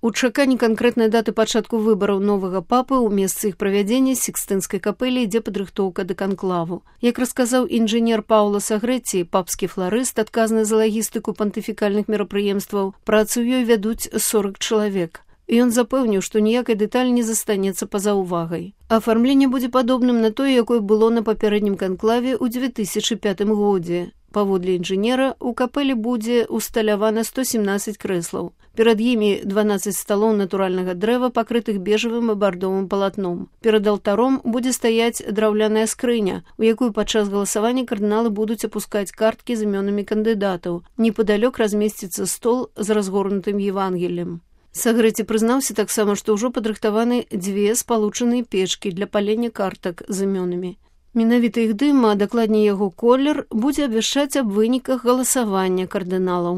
У чаканні канкрэтнай даты пачатку выбараў новага папы ў месцы іх правядзення Сікстынскай капэлі ідзе падрыхтоўка да канклаву. Як расказаў інжынер Паўла Сагрэці, папскі фларыст, адказны за лагістыку пантыфікальных мерапрыемстваў, працу ёй вядуць 40 чалавек. Ён запэўніў, што ніякай дэталь не застанецца па-за ўвагай. Афармленне будзе падобным на тое, якое было на папярэднім канклаве ў 2005 годзе. Паводле інжынера, у капэлі будзе усталявана 117 крэслаў. Перад імі 12 сталоў натуральнага дрэва, пакрытых бежавым і бардовым палатном. Перад алтаром будзе стаяць драўляная скрыня, у якую падчас галасавання кардыналы будуць апускаць карткі з імёнамі кандыдатаў. Непадалёк размесціцца стол з разгорнутым Евангеліем. Сагрэці прызнаўся таксама, што ўжо падрыхтаваны 2 спалучаныя печкі для палення картак з імёнамі. Менавіта іх дым, а дакладней яго колер, будзе абвяшчаць аб выніках галасавання кардыналаў.